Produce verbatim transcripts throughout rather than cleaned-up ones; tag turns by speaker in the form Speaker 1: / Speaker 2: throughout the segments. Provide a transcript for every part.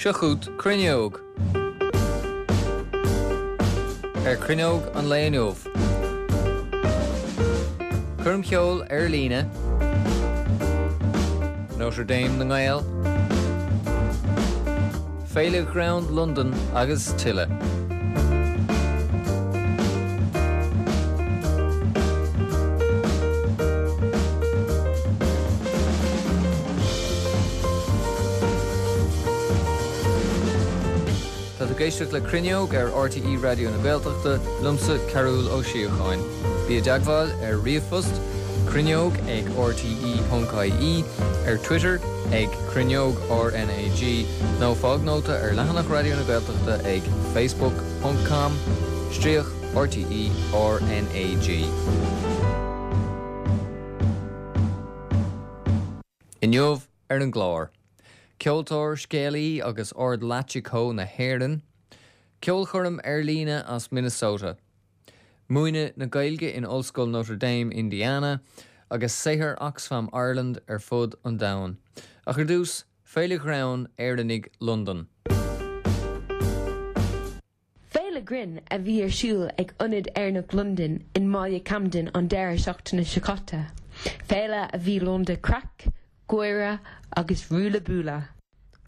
Speaker 1: Seo chugat Cruinneog. Ar Cruinneog an lae inniu. Coirm cheoil ar líne, Notre Dame na nGael, Féile Ghreann Londan agus tuilleadh. Tá tú ag éisteacht le Cruinneog ar RTÉ Raidió na Gaeltachta liomsa Cearúll Ó Síocháin. Bí i dteagmháil ar ríomhphost cruinneog ag rte.ie ar Twitter ag cruinneog RNAG nó fág nóta ar leathanach Raidió na Gaeltachta ag facebook.com stríoc RTE RNAG. Inniu ar an gclár. Ceoltóir scéalaí agus Ord Lachiko na hÉireann, Ceolchoirm ar líne as Minnesota. Múineadh na Gaeilge in Ollscoil Notre Dame, Indiana, agus saothar Oxfam Ireland ar fud an domhain. Ach ar dtús Féile Ghreann Éireannaigh Londan.
Speaker 2: Féile grinn a bhí ar siúl ag Ionad Éireannach Londan i mbaile Camden an deireadh seachtaine seo caite. Féile a bhí lán de craic, gáire agus ruaille buaille.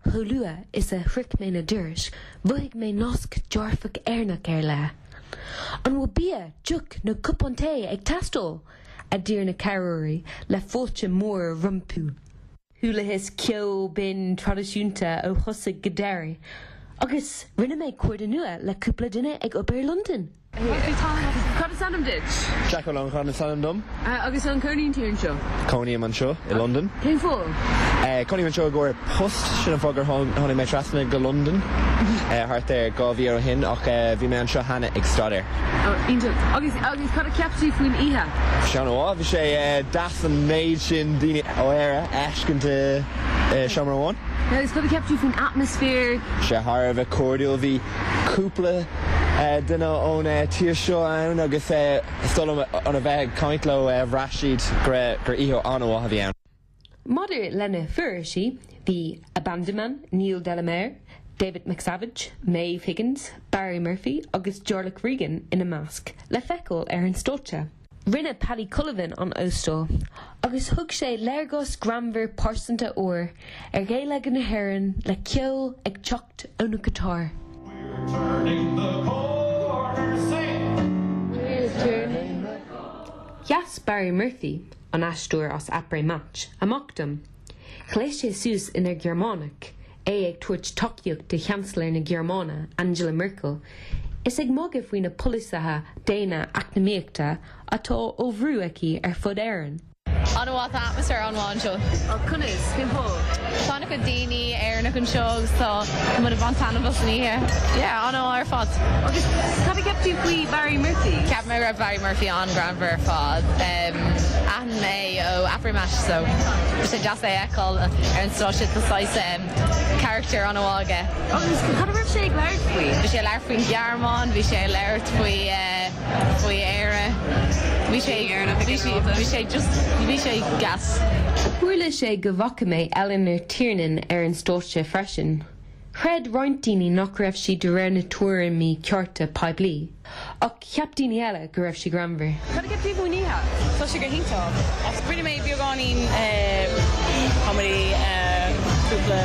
Speaker 2: Chomh luath is a shroich mé na dorais, mhothaigh mé nasc dearfach Éireannach ar leith. An bhfuil bia, deoch nó cupán tae ag teastáil, a d'iarr na cabhróirí le fáilte mór rompu. Chualathas ceol binn traidisiúnta ó thosach go deireadh, agus rinne mé cairde nua le cúpla duine ag obair Londain.
Speaker 3: Cad is ainm duit?
Speaker 4: Jack Ó Lóncháin is ainm dom.
Speaker 3: Agus an gcónaíonn tú anseo?
Speaker 4: Cónaím anseo i London.
Speaker 3: Cén fáth?
Speaker 4: Cónaím anseo i gcomhair post sin an fáth gur tháinig mé trasna go London thart ar dhá mhí ó shin ach bhí mé anseo cheana ag staidéar.
Speaker 3: Iontach agus agus cad a cheap tú faoin oíche?
Speaker 4: Sean bhí sé deas an méid sin daoine ó Éire a fheiscint seomra amháin.
Speaker 3: Agus cad a cheap tú faoin atmaisféar?
Speaker 4: Sé thar a bheith cairdiúil bhí cúpla duine ón tír seo ann agus is dóigh liom a bheith ag caint leo bhraith siad gur oíche an-mhaith a bhí ann.
Speaker 2: Maidir lena fuairsí bhí Abandoman, Neil Delamere, David McSavage, Maeve Higgins, Barry Murphy agus Jarlath Regan ina measc le feiceáil ar an stáitse. Rinne Paddy Cullivan an óstáil, agus thug sé léargas greannmhar pearsanta úr ar Ghaeilge na hÉireann le ceol ag teacht óna ghiotár.
Speaker 5: Turning the corner, sing.
Speaker 2: We're turning. Sheas Barry Murphy, an aisteoir as Après Match, amach dom. Ghléas sé suas ina Ghearmánach, é ag tabhairt tacaíocht do Chancellor na Gearmáine, Angela Merkel, is ag magadh faoi na polasaithe déine eacnamaíochta atá á bhrú aici ar fud Éireann.
Speaker 6: An-mhaith atmaisféar an-mhaith anseo.
Speaker 3: Conas cén fáth?
Speaker 6: Tá an-chuid daoine Éireannach anseo agus tá mu bhain taitneamh as an oíche. Yeah, an-mhaith ar fad.
Speaker 3: Agus cad a cheap tú faoi Barry Murphy?
Speaker 6: Ceap mé raibh Barry Murphy an-ghreannmhar ar fad. Aithním é ó Après Match so sé deas é a fheiceáil ar an stáitse tá character an-mhaith aige.
Speaker 3: Agus cad a raibh sé ag labhairt faoi?
Speaker 6: Bhí sé labhairt faoin Ghearmáin, bhí sé labhairt faoi faoi Éire. Bhí sé bhí sé just bhí sé gas.
Speaker 2: Tharla sé go bhfaca mé Eleanor Tiernan ar an stáitse freisin. Chreid roinnt daoine nach raibh sí de réir na tuairimí cearta poiblí, ach cheap daoine eile go raibh sí greannmhar.
Speaker 3: Cad a cheap tú faoin oíche?
Speaker 7: Tá sé go hiontach. Rinne mé beagáinín comedy cúpla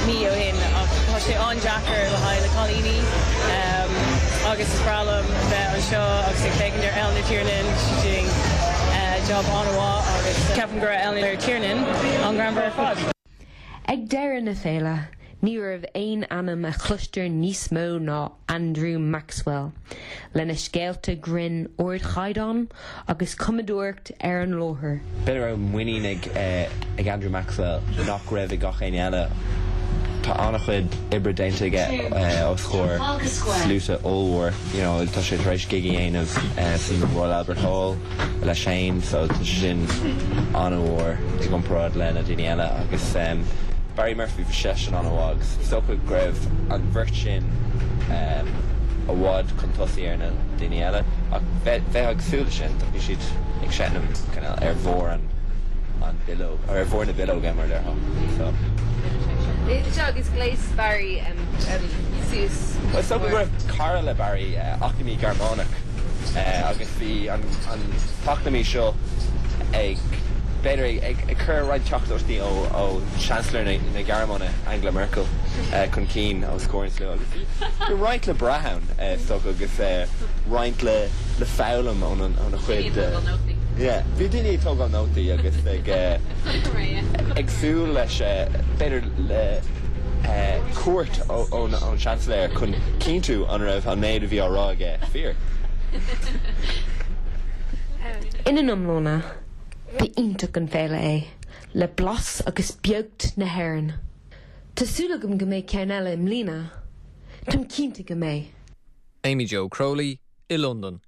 Speaker 7: mí ó shin ach tá sé an-deacair le haghaidh na cailíní agus is breá liom bheith anseo agus ag féachaint ar Eleanor Tiernan she's doing job an-mhaith agus ceapaim go raibh Eleanor Tiernan an-ghreannmhar ar fad.
Speaker 2: Ag deireadh na féile, ní raibh aon ainm a chloistear níos mó ná Andrew Maxwell, lena scéalta grinn ardchaighdeán agus cumadóireacht ar an láthair.
Speaker 4: B'fhéidir raibh muinín ag ag Andrew Maxwell nach raibh ag gach éinne eile. Tá an-chuid oibre déanta aige os comhair sluaite ollmhór, you know, tá sé tar éis gig a dhéanamh san Royal Albert Hall leis féin, so tá sé sin an-mhór i gcomparáid le na daoine eile agus um, Barry Murphy bhí seisean an-mhaith agus is dócha go raibh an bheirt sin um, i bhfad chun tosaigh ar na daoine eile ach bheith ag súil sin bhí siad ag seinm ar bharr an an bileog ar bharr na bileoige mar a déarfá so.
Speaker 3: Seo agus ghléas Barry um, um, suas.
Speaker 4: Well, so go raibh cara le Barry uh, eacnamaí Gearmánach uh, agus bhí an, an t-eacnamaí seo ag b'fhéidir ag, ag cur roinnt teachtaireachtaí ó ó Chancellor na, na Gearmáine Angela Merkel uh, chun cinn os comhair an tslua agus bhí roinnt le brath ann uh, so agus uh, roinnt le le foghlaim ón ón a chuid uh, Yeah, bhí daoine ag tógáil nótaí agus ag uh, ag súil leis uh, b'fhéidir le uh, cuairt ón ón Chancellor chun cinntiú an raibh an méid a bhí á rá aige fíor.
Speaker 2: Ina iomláine, ba iontach an féile é, le blas agus beocht na hÉireann. Tá súil agam go mbeidh ceann eile i mbliana, Táim cinnte go mbeidh.
Speaker 1: Amy Jo Crowley i London.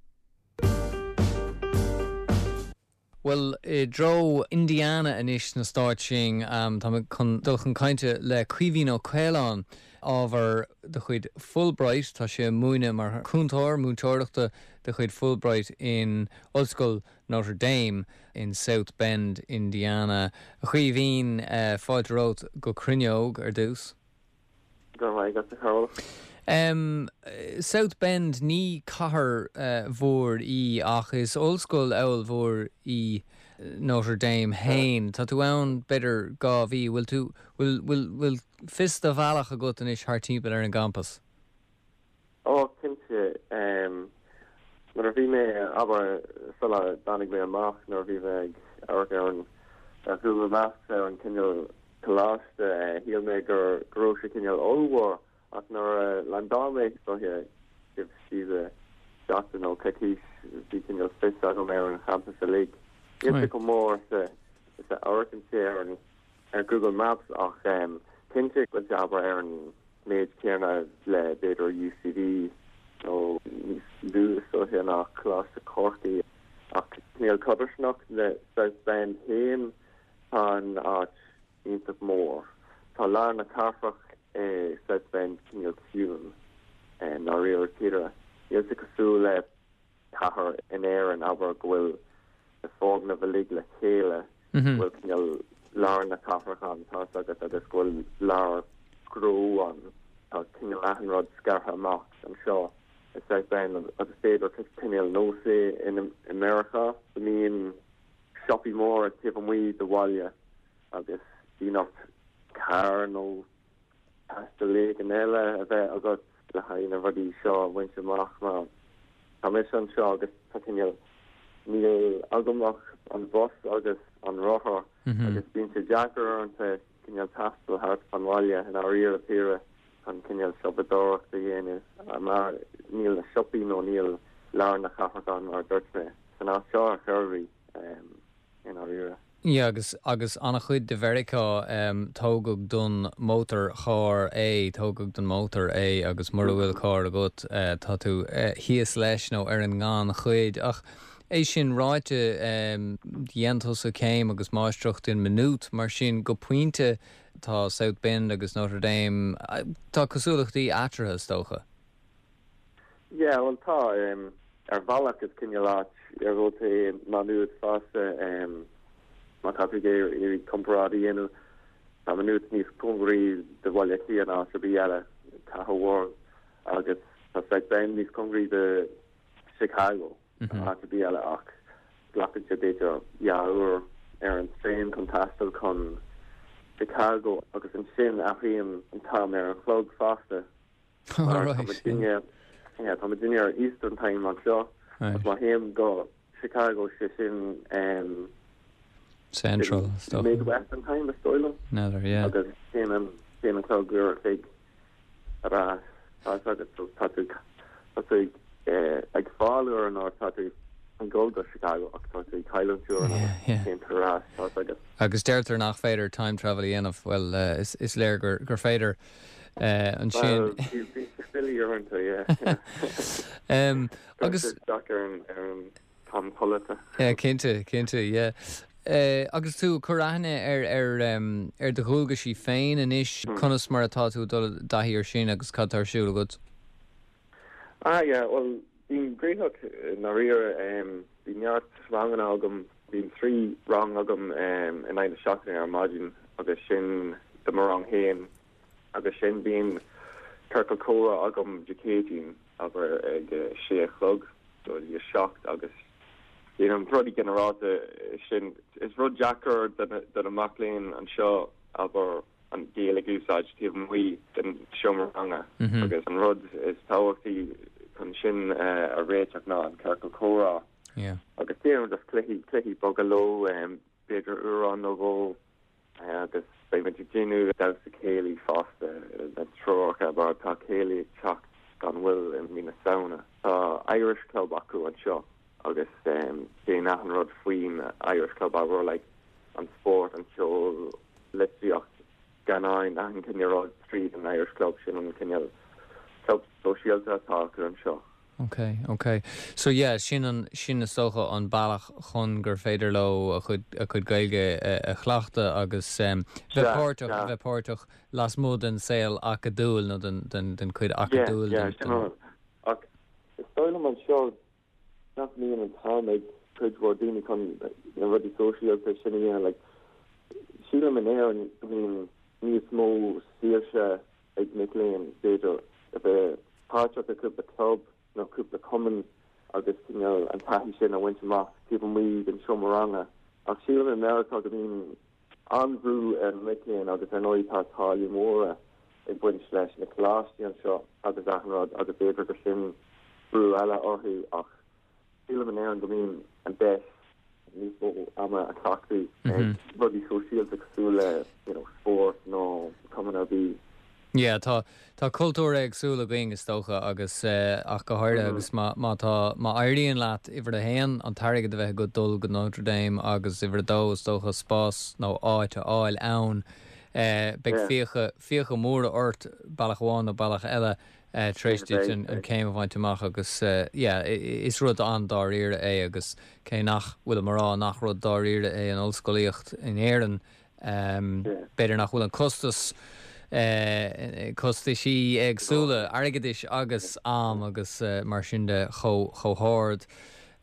Speaker 1: Well i dtreo Indiana anois sna Stáit sin um, tá chun dul chun cainte le Caoimhín Ó Caoláin ábhar de chuid Fulbright tá sé múineadh mar chúntóir múinteoireachta de chuid Fulbright in Ollscoil Notre Dame in South Bend, Indiana. A Chaoimhín uh, fáilte romhat go Cruinneog ar dtús.
Speaker 8: Go raibh maith agat a Chearúil.
Speaker 1: Um, South Bend ní cathair uh, mhór í ach is ollscoil ollmhór í Notre Dame féin. Tá tú ann b'fhéidir dhá mhí, bhfuil tú bhfuil bhfuil bhfuil fios do bhealach agat anois thart timpeall ar an gcampas.
Speaker 8: Ó cinnte um, nuair a bhí mé abair sula dtáinig mé amach nuair a bhí mé ag amharc ar an ar Google Maps ar an cineál coláiste shíl mé gur go raibh sé cineál ollmhór ach nuair a landáil mé so si seachtain nó coicís bhí cineál fios agam ar an champas uilig. Níl sé chomh mór is is a amharcann sé ar an ar Google Maps ach um, cinnte go abair ar an méid céanna le b'fhéidir UCD nó níos lú so ná Coláiste Chorcaí ach níl codarsnacht le South Bend féin tá an áit iontach mór. Tá lár na cathrach é South Bend cineál ciúin i ndáiríre píre. Níl sé cosúil le cathair in Éirinn abair go bhfuil na foirgnimh uilig le chéile bhfuil cineál lár na cathrach ann tá agus agus go bhfuil lár gnó ann tá cineál achan rud scartha amach anseo i South Bend agus b'fhéidir cineál nós é in America go mbíonn siopaí mór taobh amuigh de bhaile agus bíonn ort carr nó taisteal éigin eile a bheith agat le haghaidh na rudaí seo a bhaint amach mar tá mise anseo agus tá cineál níl agam ach an bus agus an rothar agus bíonn sé deacair uaireanta cineál taisteal thart an bhaile i ndáiríre píre an cineál siopadóireacht a dhéanamh mar níl na siopaí nó níl lár na cathrach ann mar dúirt mé san áit seo a churví i ndáiríre.
Speaker 1: Ja agus agus an-chuid de Mheiriceá um, tógadh don mótarcharr é tógadh don mótar é agus mura bhfuil carr agat uh, tá tú uh, thíos leis nó ar an ngannchuid ach é sin ráite um, dhein tusa céim agus máistreacht in Maynooth mar sin go pointe tá South Bend agus Notre Dame uh, tá cosúlachtaí eatarthu is dócha.
Speaker 8: Yeah, well tá um, ar bhealach is cineál áit ar é Maynooth fosta um, má tá tú ag iarraidh comparáid a dhéanamh tá Maynooth níos cóngaraí do Bhaile Átha Cliath ná ar bith eile cathair mhór agus tá South Bend níos cóngaraí do Chicago áit ar bith eile ach glacann sé b'fhéidir dhá uair ar an traein chun taisteal chun Chicago agus ansin athraíonn an t-am ar an chlog fosta. Tá duine ar Eastern Time anseo má théim go Chicago sé sin um,
Speaker 1: Central stuff.
Speaker 8: Midwestern Time is dóigh liom
Speaker 1: Nether, yeah.
Speaker 8: agus téann an téann an clog uair chuig ar agus tá tú tá tú ag fáil uair an tá tú ag dul go Chicago ach tá tú cailliúint uair ar agus.
Speaker 1: Agus deirtear nach féidir time travel a dhéanamh well uh, is, is léir gur, gur féidir uh, ansin. um, agus
Speaker 8: ar an t-am codlata.
Speaker 1: Yeah, cinnte cinnte yeah. Uh, agus tú cur aithne ar ar um, ar do dhualgaisí féin anois mm. conas mar atá tú dul i dtaithí air sin agus cad tá ar siúl agat.
Speaker 8: Ah yeah, well bím gnóthach i ndáiríre um, bhí neart ranganna agam bíonn trí rang agam um, in aghaidh na seachtaine ar maidin agus sin do mo rang féin Agus sin bíonn ciorcal comhrá agam Dé Céadaoin abair ag sé a chlog go dtí a seacht agus déanaim rudaí ginearálta sin is rud deacair do na mic léinn anseo abair an Ghaeilge a úsáid taobh amuigh den seomra ranga agus an rud is tábhachtaí chun sin a réiteach ná an ciorcal comhrá. Agus déanaim just cluichí cluichí beaga leo b'fhéidir amhrán nó dhó agus beimid ag déanamh damhsa céilí fosta na treoracha mar tá céilí ag teacht gan mhoill i mí na Samhna. Tá Irish Club acu anseo agus um, déan achan rud faoin Irish Club abair like, an sport, an ceol, litríocht, scannáin achan cineál rud tríd an Irish Club sin an cineál club sóisialta atá acu anseo.
Speaker 1: Ok, ok. So yeah, sin an sin is dócha an bealach chun gur féidir leo a chuid a chuid Gaeilge a chleachtadh agus um, bheith páirteach bheith páirteach lasmuigh den saol acadúil nó den den den chuid acadúil.
Speaker 8: Yeah, yeah, ach is dóigh liom anseo nach mbíonn an t-am ag cuid mhór daoine chun na rudaí sóisialta sin a dhéanamh like, sílim in Éirinn go mbíonn níos mó saoirse ag mic léinn b'fhéidir a bheith páirteach i cúpla club nó cúpla cumann agus cineál an taithí sin a bhaint amach taobh amuigh den seomra ranga. Ach sílim i Meiriceá go mbíonn an-bhrú ar na mic léinn agus ar ndóigh tá táillí móra ag baint leis na coláistí anseo agus achan rud agus b'fhéidir gur sin brú eile orthu ach sílim in Éirinn go mbíonn an deis níos mó ama a chaitheamh ag rudaí sóisialta cosúil le you know, spórt nó cumann ar bith.
Speaker 1: Yeah, tá tá cultúr éagsúil againn is dócha agus uh, ach go háirithe agus má má tá má éiríonn leat uimhir a haon an t-airgead a bheith agat dul go Notre Dame agus uimhir a dó is dócha spás nó áit a fháil ann uh, beidh
Speaker 8: Yeah.
Speaker 1: fiacha fiacha móra ort bealach amháin nó bealach eile uh, tar éis duit an, an céim a bhaint amach agus uh, yeah, i- i- is rud an-dáiríre é agus cé nach bhfuil mar nach rud dáiríre é an ollscolaíocht in Éirinn um, b'fhéidir nach bhfuil an costas uh, costaisí éagsúla airgeadais agus am agus uh, mar sin de chomh chomh hard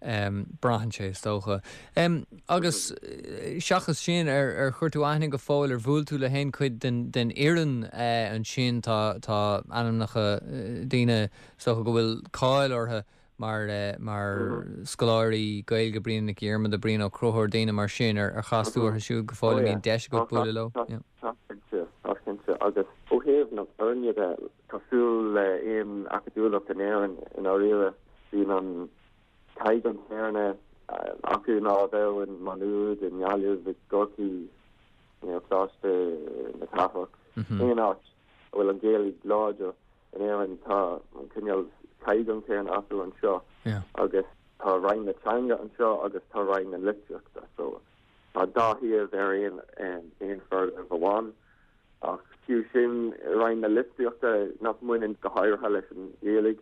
Speaker 1: um, braitheann sé is dócha. Um, agus eh, seachas sin ar ar chuir tú aithne go fóill ar bhuail tú le haon chuid den, den fhoireann uh, ansin tá tá ainmneacha uh, daoine is dócha go bhfuil cáil orthu mar uh, mar scoláirí Gaeilge Brian Nic Diarmada Brian Ó Conchúir daoine mar sin ar ar chas tú orthu siúd go fóill
Speaker 8: Oh, yeah.
Speaker 1: mbíonn deis agat bualadh leo. Yeah.
Speaker 8: Tá cinnte, tá cinnte agus ó thaobh na foirne de cosúil le aon acadúlacht in Éirinn i ndáiríre bíonn an caighdeán céanna acu ná a bheadh in Maigh Nuad i nGaillimh i gCorcaigh you know, Coláiste na Cathrach aon áit a bhfuil an Ghaeilge láidir in Éirinn tá an cineál caighdeán céanna acu anseo
Speaker 1: Yeah.
Speaker 8: agus tá Roinn na Teanga anseo agus tá Roinn na Litríochta so tá dá thaobh ar aon um, aon foirgneamh amháin ach fiú sin Roinn na Litríochta nach mbaineann go háirithe leis an Ghaeilge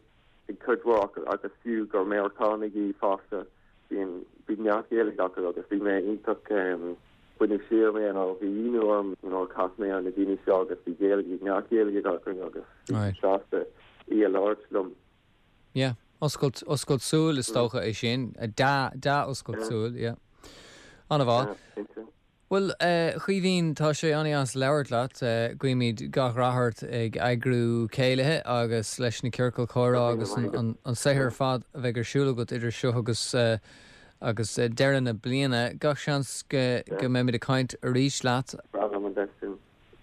Speaker 8: ag cuid mhór acu agus fiú gur Meiriceánaigh iad fosta bíonn bíonn neart Gaeilge acu agus bhí mé iontach um, baineadh siar mé nó bhí ionadh orm you know, chas mé ar na daoine seo agus bhí Gaeilge neart Gaeilge acu agus bhí
Speaker 1: Right.
Speaker 8: sásta í a labhairt liom.
Speaker 1: Yeah, oscailt oscailt súl is dócha é sin a dá dá oscailt súl, yeah. An-mhaith.
Speaker 8: cinnte.
Speaker 1: Well uh, Caoimhín tá sé an-deas labhairt leat uh, guímid gach rath ort ag eagrú céilithe agus leis na ciorcail chomhrá agus an, an, an saothar fad a bheidh ar siúl agat idir seo agus uh, agus uh, deireadh na bliana gach seans go, go mbeimid ag caint arís leat
Speaker 8: Breá liom an deis sin.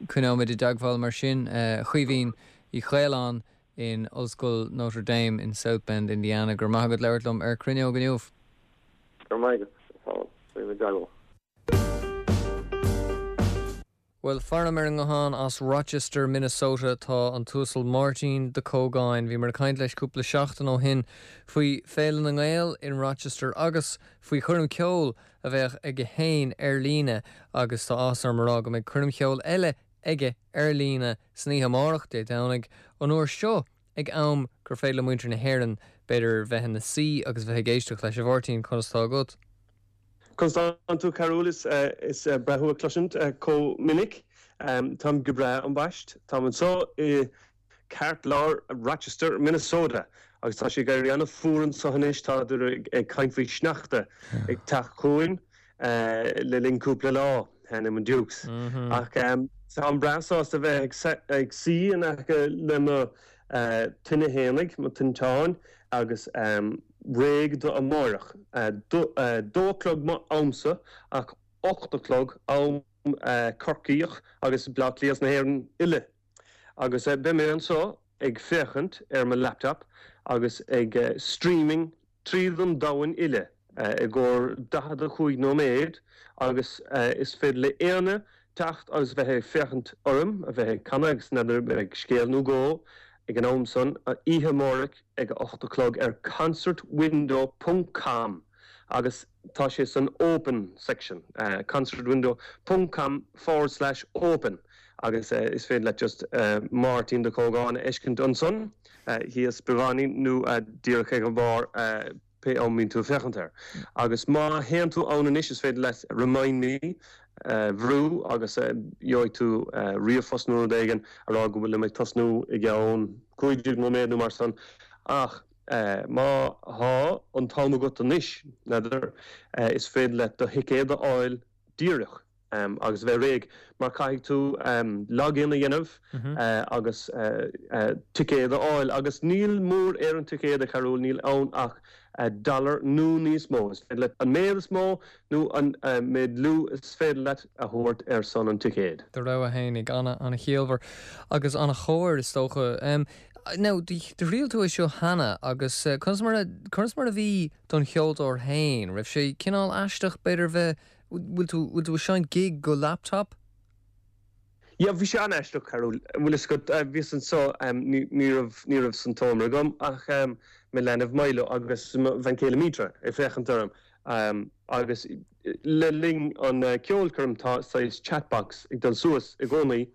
Speaker 1: Coinneoimid i dteagmháil mar sin uh, Caoimhín Ó Caoláin in Ollscoil Notre Dame in South Bend, Indiana, gur maith agat labhairt liom ar Cruinneog inniu.
Speaker 8: Gur maith agat i dteagmháil.
Speaker 1: Well faraim ar an nguthán as Rochester, Minnesota tá an tUasal Máirtín de Cógáin, bhíomar ag caint leis cúpla seachtain ó shin faoi Féile na nGael in Rochester agus faoi choirm ceoil a bheadh aige féin ar líne agus tá áthas orm a rá go mbeidh coirm cheoil eile aige ar líne san oíche amárach Dé Domhnaigh an uair seo ag am gur féidir le muintir na hÉireann b'fhéidir bheith ina suí agus bheith ag éisteacht leis a Mháirtín conas tá agat.
Speaker 9: Conas tánn tú Cearúil is uh, is uh, breá thú a chloisint uh, chomh minic um, Táim go breá ambaist Tá anseo i gceartlár Rochester, Minnesota agus tá sé ag éirí an-fhuar anseo anois tá ag caint faoi sneachta ag teacht chugainn uh, le linn cúpla lá. Ainm an Dukes. Ach táim breá sásta bheith ag suí in aice le mo tine fhéinig, mo tinteán agus réidh do amárach. Dó a chlog mo amsa ach ocht a chlog am Corcaíoch agus Bleá Cliath na hÉireann uile. Agus beidh mé anseo ag féachaint ar mo laptop agus ag streaming tríd an domhan uile i gcomhair daichead a cúig nóiméad agus is féidir le éinne teacht agus bheith ag féachaint orm a bheith ag canadh agus n'fheadar ag scéal nó dhó ag an am san oíche amárach ag a ocht a chlog ar concertwindow ponc com agus tá sé san open section concertwindow ponc com forward slash open agus is féidir leat just Máirtín de Cógáin a fheiscint ansan thíos beagáinín nó díreach ag an bharr pé am mbíonn tú ag féachaint air. Agus má théann tú ann anois is féidir leat remind me bhrú agus gheobhaidh tú ríomhphost nó rud éigin a rá go bhfuil mé ag tosnú i gceann cúig déag nóiméad nó mar san. Ach má thá an t-am agat anois, n'fheadar, is féidir leat do thicéad a fháil díreach agus bheith réidh mar caithfidh tú login a dhéanamh agus ticéad a fháil agus níl mór ar an ticéad a Charúil, níl ann ach dollar nó níos mó. Is féidir leat an méid is mó nó an méid lú is féidir leat a thabhairt ar son an ticéid.
Speaker 1: Do rogha fhéinig, ana-chiallmhar agus ana-chóir is dócha. Now, do thriail tú é seo cheana agus conas mar a conas mar a bhí don cheoltóir féin? Raibh sé cineál aisteach b'fhéidir bheith bhfuil tú bhfuil tú ag seinnt gig go laptop?
Speaker 9: Yeah, bhí sé an-aisteach, Carúil. Bhfuil fhios agat, bhíos anseo, ní ní raibh ní raibh san tseomra agam ach mo leanbh Milo agus mo bhean chéile Mitra ag féachaint orm agus le linn an ceolchoirm tá saghas chatbox ag dul suas i gcónaí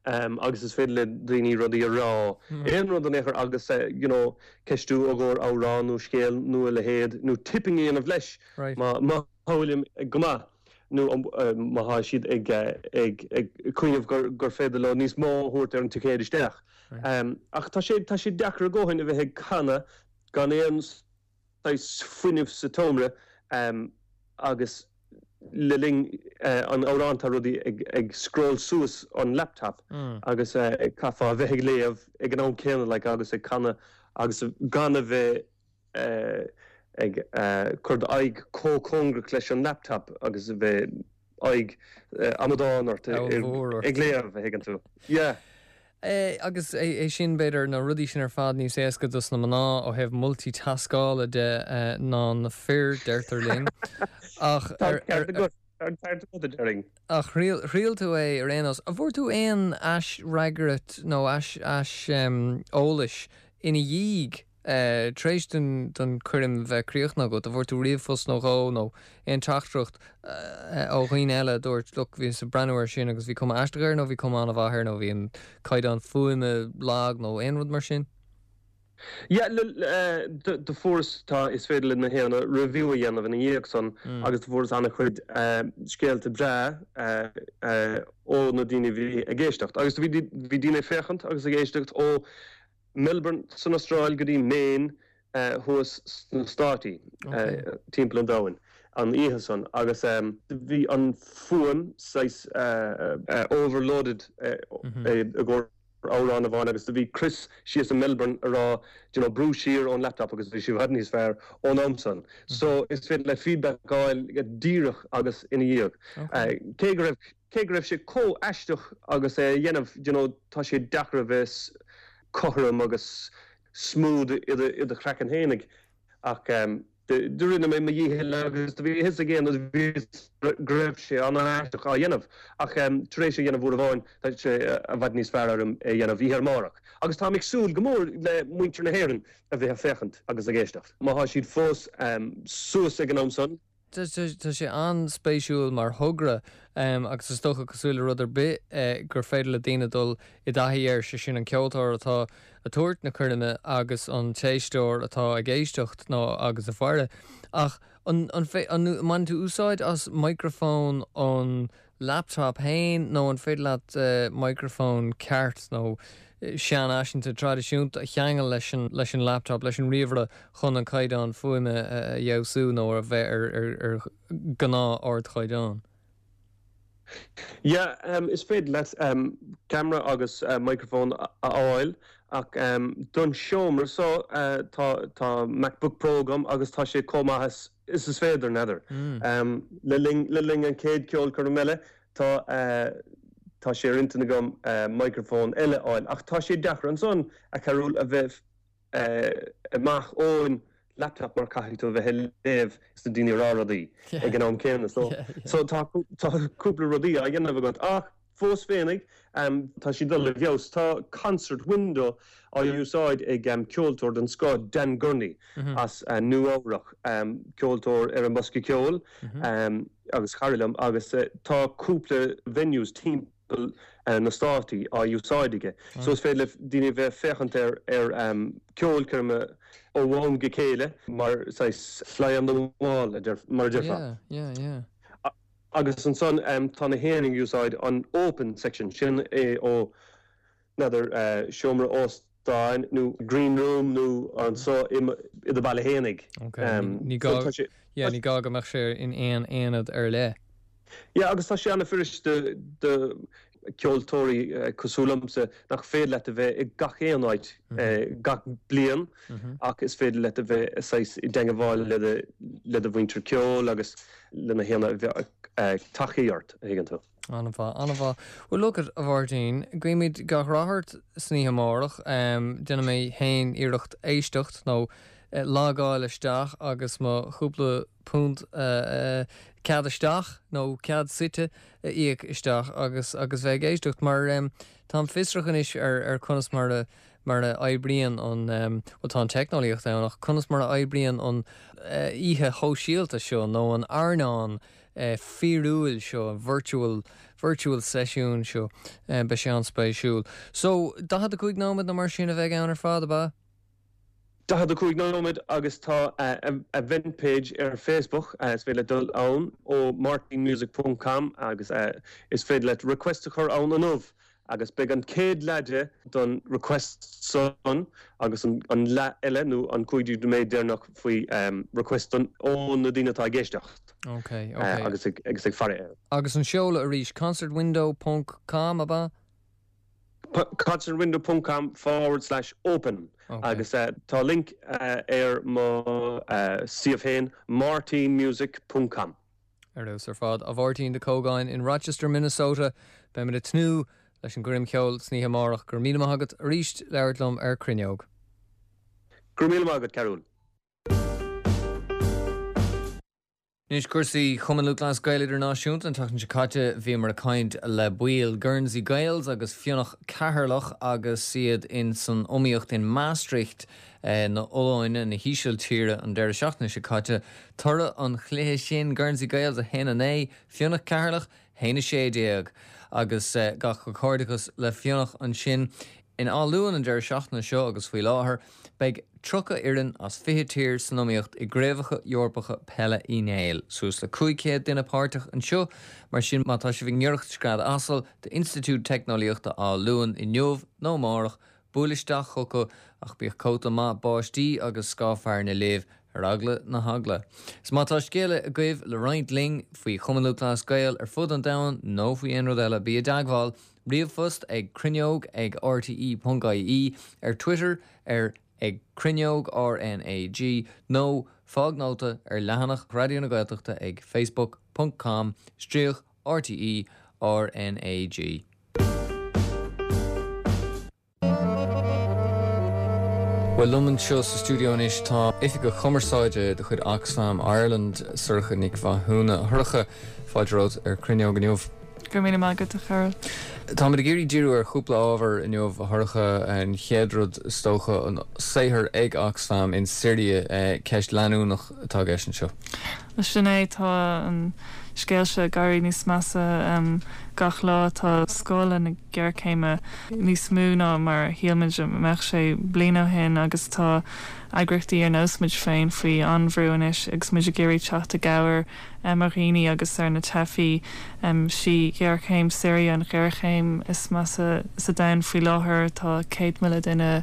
Speaker 9: agus is féidir le daoine rudaí a rá, aon rud in aon chor agus you know ceistiú i gcomhair amhrán nó scéal nó a leithéid nó tipping a dhéanamh leis má má bhfuilim go maith nó má thá siad ag ag ag cuimhneamh gur gur féidir leo níos mó a thabhairt ar an ticéad isteach. Ach tá sé tá sé deacair a dhóthain a bheith ag canadh gan aon saghas fuinnimh sa tseomra agus le linn an amhráin tá rudaí ag ag scroll suas an laptop agus caithfeá a bheith ag léamh ag an am céanna like agus ag canadh agus gan a bheith ag cur d'aghaidh chomh cóngarach leis an laptop agus a bheith aghaidh amadán ort ag léamh, a thuigeann tú. Yeah.
Speaker 1: Agus é sin, b'fhéidir, na rudaí sin ar fad níos éasca dos na mná ó thaobh multitaskála de ná na fir, deirtear linn. Ach
Speaker 9: Tá ceart agat, tá an ceart agat, a déarfainn.
Speaker 1: Ach thriail tú é ar aon nós. An bhfuair tú aon aisfhreagairt nó ais ais eolais ina dhiaidh Tar éis don choirm bheith críochnaithe agat, an bhfuair tú ríomhphost nó dhó nó aon teachtaireacht ó dhaoine eile a dúirt, look, bhíos ag breathnú air sin agus bhí cuma aisteach air nó bhí cuma an-mhaith air nó bhí an caighdeán fuaime lag nó aon rud mar sin?
Speaker 9: Yeah, do fuaireas, tá, is féidir le na héinne review a dhéanamh ina dhiaidh san agus do fuaireas an-chuid scéalta breá ó na daoine a bhí ag éisteacht. Agus bhí daoine ag féachaint agus ag éisteacht ó Melbourne san Astráil go dtí Maine thuas sna Státaí, timpeall an domhain, an oíche san agus bhí an fuaim saghas overloaded i gcomhair amhrán amháin agus do bhí Chris síos i Melbourne a rá do you know brú siar ón laptop agus bhí sé i bhfad níos fearr ón am san. So is féidir le feedback a fháil díreach agus ina dhiaidh. Cé go raibh cé go raibh sé chomh aisteach agus é a dhéanamh do you know tá sé deacair a bheith cothrom agus smooth i do chraiceann fhéinig ach do rinne mé mo dhícheall agus do bhí a fhios ag éinne go raibh sé an-aisteach á dhéanamh ach tar éis a dhéanamh uair amháin tá sé i bhfad níos fearr orm é a dhéanamh oíche amárach agus táim ag súil go mór le muintir na hÉireann a bheith ag féachaint agus ag éisteacht má thá siad fós suas ag an am san.
Speaker 1: Tá sé an-spéisiúil mar thogra agus is dócha, cosúil le rud ar bith, gur féidir le daoine dul i dtaithí air, sé sin an ceoltóir atá ag tabhairt na coirme agus an t-éisteoir atá ag éisteacht nó agus ag faire. Ach an mbaineann tú úsáid as micreafón an laptop féin nó an féidir leat micreafón ceart nó seanfhaiseanta traidisiúnta a cheangal leis an leis an laptop, leis an ríomhaire chun an caighdeán fuaime a fheabhsú nó a bheith ar ar ar gnáth ardchaighdeán?
Speaker 9: Yeah, um, is féidir leat um, camera agus uh, microphone a fháil ach um, don seomra so uh, tá tá MacBook Pro agam agus tá sé chomh maith is is féidir n'fheadar.
Speaker 1: Mm.
Speaker 9: Um, le linn le linn an chéad ceolchoirm eile tá uh, tá sé ar intinn agam uh, microphone eile a fháil ach tá sé deacair ansan a Chearúil a bheith uh, amach ón laptop mar caithfidh tú bheith léamh is na daoine rá rudaí ag an am céanna so so tá tá cúpla rudaí á dhéanamh agat ach fós féinig um, tá sé dul i bhfeabhas tá concert window á úsáid ag um, ceoltóir den scoth Dan Gurney
Speaker 1: Mm -hmm.
Speaker 9: as uh, Nua-Eabhrac um, ceoltóir ar an mbosca ceoil
Speaker 1: mm -hmm.
Speaker 9: um, agus cara liom agus uh, tá cúpla venues timpeall uh, na státaí á úsáid aige.
Speaker 1: Mm.
Speaker 9: So is féidir le daoine bheith féachaint ar ar um, ceolchoirme ó am go chéile mar saghas fly on the wall a deir- mar a déarfá.
Speaker 1: Yeah, yeah, yeah.
Speaker 9: Agus ansan um, tá na héing úsáid an open section sin é ó n'fheadar uh, seomra óstáin nó green room nó anso i i do bhaile fhéinig.
Speaker 1: Okay.
Speaker 9: Um,
Speaker 1: ní
Speaker 9: so
Speaker 1: gá
Speaker 9: tá sé-
Speaker 1: yeah, ní gá go mbeadh sé in aon aonad ar leith.
Speaker 9: Ja, agus tá sé an-fhurasta do ceoltóirí uh, cosúil liomsa nach féidir leat a bheith i gach aon áit uh, gach bliain
Speaker 1: Mm -hmm.
Speaker 9: ach is féidir leat a bheith saghas i dteagmháil le do- le do mhuintir ceoil agus lena chéile bheith uh, tacaíocht a thuigeann tú.
Speaker 1: An-mhaith an-mhaith. Well look at a Mháirtín, guímid gach rath ort san oíche amárach, um, déanfaidh mé féin iarracht éisteacht nó uh, logáil isteach agus mo chúpla punt uh, uh, cead isteach nó cead suite a íoc isteach agus agus bheith ag éisteacht mar um, tá fiosrach anois ar ar conas mar a mar a oibríonn an um, well, tá an teicneolaíocht ann ach conas mar a oibríonn an uh, oíche shóisialta seo nó an airneán uh, fíorúil seo an virtual virtual session seo uh, beidh sé an-spéisiúil. So daichead a cúig nóiméad nó mar sin a bheidh ann ar fad ab ea?
Speaker 9: Daichead a cúig nóiméad agus tá uh, event page ar Facebook uh, is féidir dul ann ó martinmusic.com agus uh, is féidir leat request a chur ann inniu agus beidh an chéad leath de don request san agus an, an leath eile nó an cúig nóiméad deireanach faoi um, request don ó na daoine atá ag éisteacht
Speaker 1: Okay,
Speaker 9: uh,
Speaker 1: okay.
Speaker 9: agus ag, agus ag faire air.
Speaker 1: Agus an seoladh arís concertwindow.com ab ea?
Speaker 9: concertwindow.com forward slash open
Speaker 1: Okay.
Speaker 9: agus uh, tá link uh, ar mo uh, suíomh féin martinmusic.com.
Speaker 1: Ar fheabhas ar fad a Mháirtín de Cógáin in Rochester, Minnesota, Beimid ag tnúth leis an gcoirm cheoil san oíche amárach go raibh míle maith agat arís labhairt liom ar Cruinneog.
Speaker 9: Go raibh míle maith agat Cearúil.
Speaker 1: Anois cúrsaí Chumann Lúthchleas Gael Idirnáisiúnta an tseachtain seo caite bhíomar ag caint le baill Guernsey Gaels agus Fionnach Ceatharlach agus iad in san iomaíocht in Maastricht eh, na Ollainne na hÍsiltíre an deireadh seachtaine seo caite toradh an chluiche sin Guernsey Gaels a haon a naoi Fionnach Ceatharlach haon a sé déag agus eh, gach comhghairdeachas le Fionnach ansin in Áth Luain an deireadh seachtaine seo agus faoi láthair beidh tríocha fhoireann as fiche tír san iomaíocht i gCraobhacha Eorpacha Peile Uí Néill, suas le cúig chéad duine páirteach anseo, mar sin má tá sibh i ngiorracht scread asail d'Institiúid Teicneolaíochta Áth Luain inniu nó amárach buail isteach chucu ach bíodh cóta maith báistí agus scáth fearthainne libh ar eagla na heagla. Is má tá scéal agaibh le roinnt linn faoi Chumann Lúthchleas Gael ar fud an domhain nó faoi aon rud eile bí i dteagmháil, ríomhphost ag cruinneog ag rte.ie ar Twitter ar ag cruinneog RNAG nó fág nóta ar leathanach Raidió na Gaeltachta ag facebook.com stríoc RTE RNAG. Well liom anseo sa stiúideo anois tá oifigeach cumarsáide de chuid Oxfam Ireland Sorcha Nic Mhathúna a Shorcha fáilte romhat ar Cruinneog inniu.
Speaker 10: Go raibh míle maith agat a Chearúil.
Speaker 1: Tá ag iarraidh díriú ar chúpla ábhar inniu a Shorcha an chéad rud is dócha an saothar ag Oxfam in Siria ceist leanúnach atá leis anseo.
Speaker 10: Sin é tá an scéal seo ag éirí níos measa um, gach lá tá scála na géarchéime níos mó ná mar shíl muid mbeadh sé bliain ó shin agus tá eagraíochtaí ar nós muid féin faoi an-bhrú anois agus muid ag iarraidh teacht i gcabhair um, ar dhaoine agus ar na teifigh um, sí géarchéim Siria an ghéarchéim is measa sa domhan faoi láthair tá céad míle duine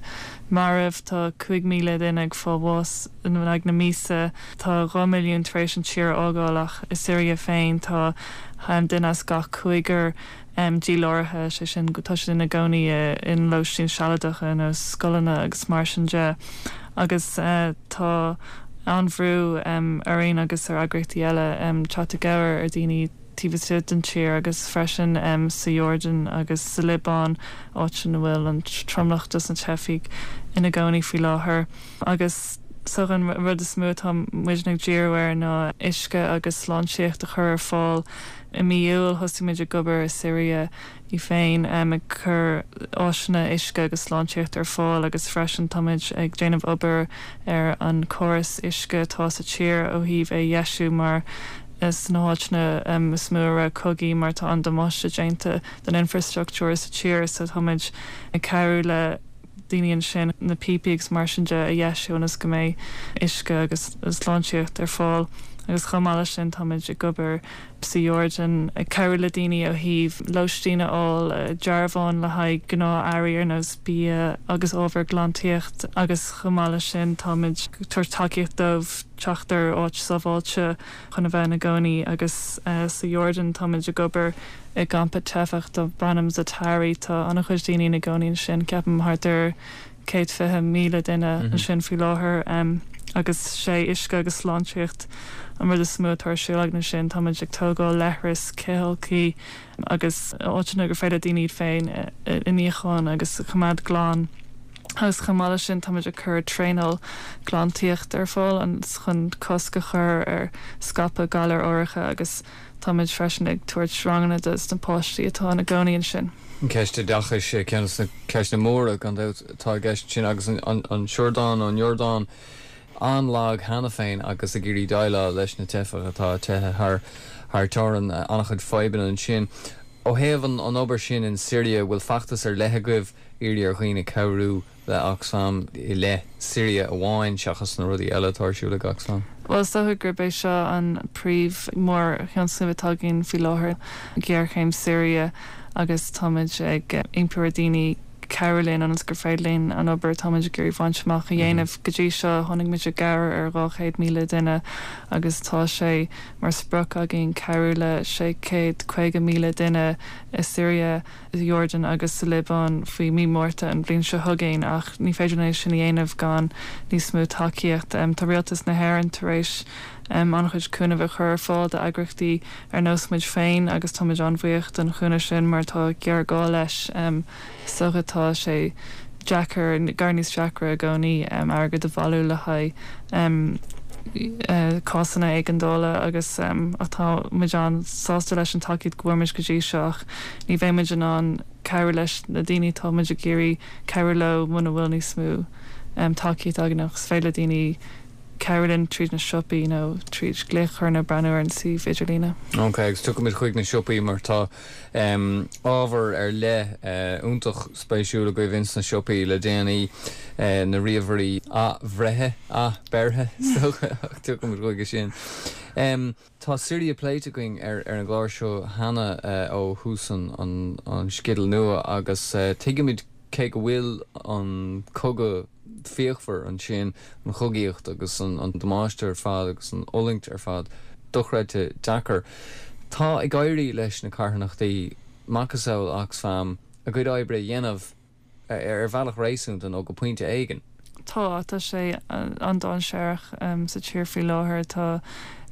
Speaker 10: marbh tá cúig míle duine ag fáil bháis in aghaidh na míosa tá dhá milliún tar éis an tír a fhágáil ach i Siria féin tá duine as gach cúigear díláraithe sé sin go tá siad ina gcónaí in lóistín sealadacha nó scoileanna agus mar sin de agus tá an-bhrú orainn agus ar eagraíochtaí eile teacht i gcabhair ar daoine taobh istigh den tír agus freisin sa Iordáin agus sa Liobáin áit ina bhfuil an tromlach dos na teifigh ina gcónaí faoi láthair agus so an rud is mó atá muid ag díriú air ná uisce agus sláintíocht a chur ar fáil i mí Iúil thosaigh muid ag obair i Siria í féin ag cur áiseanna uisce agus sláintíocht ar fáil agus freisin táimid ag déanamh obair ar an córas uisce atá sa tír ó thaobh é a dheisiú mar sna háiteanna is mó a raibh cogaí mar tá an damáiste déanta don infrastruchtúr sa tír so táimid ag cabhrú le daoine ansin na píopaí agus mar sin de a dheisiú ionas go mbeidh uisce agus sláintíocht ar fáil agus chomh maith leis sin táimid ag obair sa Iordáin ag cabhrú le daoine ó thaobh lóistín a fháil dearbháin le haghaidh gnáth-earraí ar nós bia agus ábhar glantaíocht agus chomh maith leis sin táimid ag tabhairt tacaíocht dóibh teacht ar áit sábháilte chun a bheith ina gcónaí agus sa Iordáin táimid ag obair i gcampa teifeach darb ainm Zaatari tá an-chuid daoine ina gcónaí ansin ceapaim thart ar céad fiche míle duine ansin faoi láthair agus sé uisce agus sláintíocht an rud is mó atá ar siúl againn ansin táimid ag tógáil leithris cithfholcthaí agus áiteanna gur féidir daoine iad féin a níochán agus a choimeád glan. Agus chomh maith leis sin táimid ag cur traenáil glantaíocht ar fáil chun cosc a chur ar scaipeadh galar áirithe agus táimid freisin ag tabhairt ranganna dos na páistí atá ina gcónaí ansin.
Speaker 1: An ceist oideachais ceann de na ceisteanna móra gan dabht atá i gceist sin agus an Siordáin an Iordáin an-lag cheana féin agus ag iarraidh déileáil leis na teifigh atá teitheadh thar thar teorainn an-chuid fadhbanna ansin. Ó thaobh an an obair sin in Siria bhfuil feachtas ar leith agaibh iarraidh ar dhaoine cabhrú le Oxfam i leith Siria amháin seachas na rudaí eile atá ar siúl ag Oxfam?
Speaker 10: Well is dócha gurb é seo an príomh mórthionscnamh atá againn faoi láthair géarchéim Siria agus táimid ag impí ar daoine cabhrú linn ionas gur féidir linn an obair táimid ag iarraidh bhaint amach a dhéanamh. Go dtí seo tháinig muid i gcabhair ar dhá chéad míle duine agus tá sé mar sprioc againn cabhrú le sé chéad caoga míle duine i Siria, i Iordáin agus sa Liobáin faoi mí Márta an bhliain seo chugainn ach ní féidir linn é sin a dhéanamh gan níos mó tacaíocht. Tá rialtas na hÉireann tar éis an-chuid cúnamh a chur ar fáil d'eagraíochtaí ar nós muid féin agus táimid an-bhuíoch don chúnamh sin mar tá géarghá leis so tá sé deacair gar níos deacra i gcónaí airgead a bhailiú le haghaidh cásanna éigeandála agus atá muid an-sásta leis an tacaíocht go bhfuair muid go dtí seo ach ní bheidh muid in ann cabhrú leis na daoine atá muid ag iarraidh cabhrú leo muna bhfuil níos mó tacaíocht againn ach is féidir le daoine cabhrú linn tríd na siopaí nó tríd glaoch nó breathnú ar an suíomh idirlíne.
Speaker 1: Ok, agus tiocfaimid chuig na siopaí mar tá um, ábhar ar leith uh, iontach spéisiúil agaibh ins na siopaí le déanaí uh, na ríomhairí athbhreithe athbheirthe tiocfaimid chuige sin. Um, tá Siria pléite againn ar ar an gclár seo cheana uh, ó thús an, an, an sceideal nua agus uh, tuigimid cé go bhfuil an cogadh fíochmhar ansin an chogaíocht agus an, an damáiste ar fad agus an fhulaingt ar fad dochreidte deacair. Tá ag éirí leis na carthanachtaí macasamhail Oxfam a gcuid oibre a dhéanamh ar bhealach réasúnta nó go pointe éigin.
Speaker 10: Tá tá sé an-dainséarach um, sa tír faoi láthair tá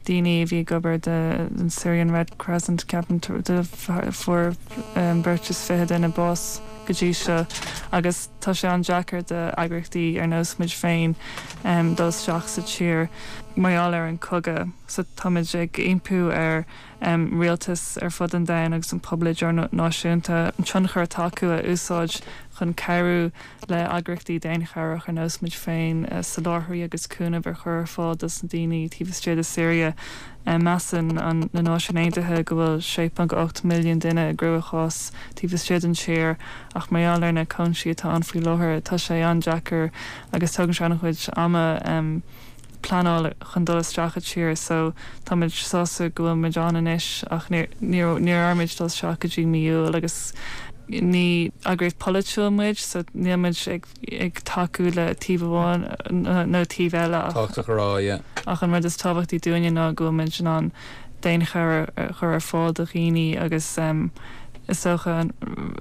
Speaker 10: daoine a bhí ag obair de an Syrian Red Crescent ceapaim de fuair um, beirt is fiche duine bás go dtí seo agus tá sé an-deacair d'eagraíochtaí ar nós muid féin um, dul isteach sa tír mar gheall ar an cogadh so táimid ag impí ar um, rialtas ar fud an domhain agus an pobal idirnáisiúnta an tionchar atá acu a úsáid chun cabhrú le heagraíochtaí daonchabhrach ar nós muid féin uh, soláthraí agus cúnamh ar chur ar fáil dos na daoine taobh istigh de Syria. Um, measann an na Náisiúin Aontaithe go bhfuil sé ponc ocht milliún duine i gcruachás taobh istigh den tír ach mar gheall ar na cúinsí atá ann faoi láthair tá sé an-deacair agus tugann sé an-chuid ama um, pleanáil chun dul isteach sa tír so táimid sásta go bhfuil muid ann anois ach níor níor muid dul isteach go dtí mí Iúil agus Ní eagraíocht polaitiúil muid, so níl muid ag, ag tacú le taobh amháin nó taobh eile
Speaker 1: Tábhachtach a rá, yeah.
Speaker 10: ach an rud is tábhachtaí dúinne ná go bhfuil muid in ann daonchabhair a chur ar fáil do dhaoine agus um, is dócha